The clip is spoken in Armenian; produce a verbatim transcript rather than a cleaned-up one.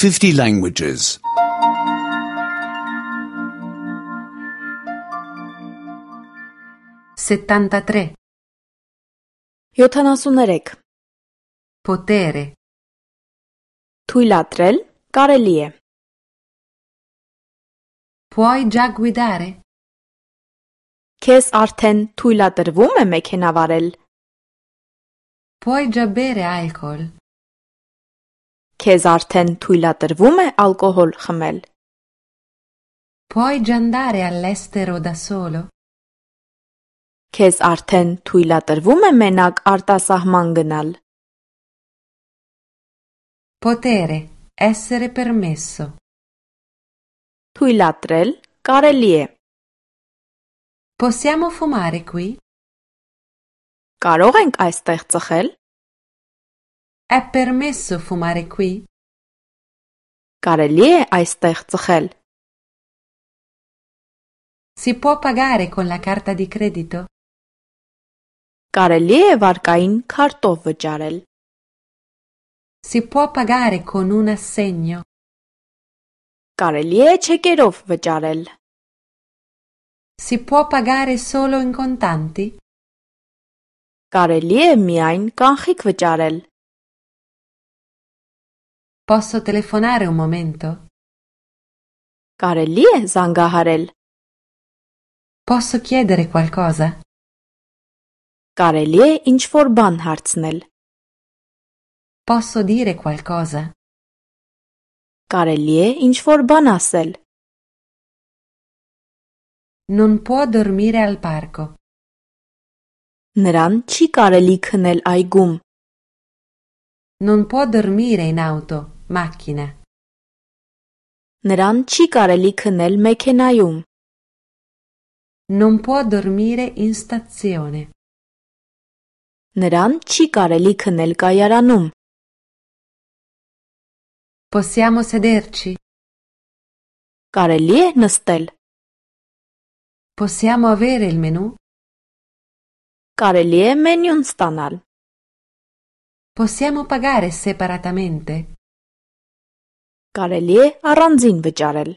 fifty languages. settantatré. յոթանասուններեք. Potere. Թույլատրել կարելի է. Puoi già guidare? Քեզ արդեն թույլատրվում է մեքենա վարել. Puoi già bere alcol? Քեզ արդեն թույլատրվում է ալկոհոլ խմել. Puoi già andare all'estero da solo? Քեզ արդեն թույլատրվում է մենակ արտասահման գնալ. Potere. Essere permesso. Թույլատրել կարելի է. Possiamo fumare qui? Կարող ենք այստեղ ծխել? È permesso fumare qui? Կարելի է այստեղ ծխել? Si può pagare con la carta di credito? Կարելի է վարկային քարտով վճարել. Si può pagare con un assegno? Կարելի է չեկերով վճարել. Si può pagare solo in contanti? Կարելի է միայն կանխիկ վճարել. Posso telefonare un momento? Կարելի է զանգահարել. Posso chiedere qualcosa? Կարելի է ինչ-որ բան հարցնել. Posso dire qualcosa? Կարելի է ինչ-որ բան ասել. Non può dormire al parco. Նրան չի կարելի քնել այգում. Non può dormire in auto, macchina. Նրան չի կարելի քնել մեքենայում. Non può dormire in stazione. Նրան չի կարելի քնել կայարանում. Possiamo sederci? Կարելի է նստել. Possiamo avere il menù? Կարելի է մենյուն ստանալ. Possiamo pagare separatamente? Կարելի է առանձին վճարել.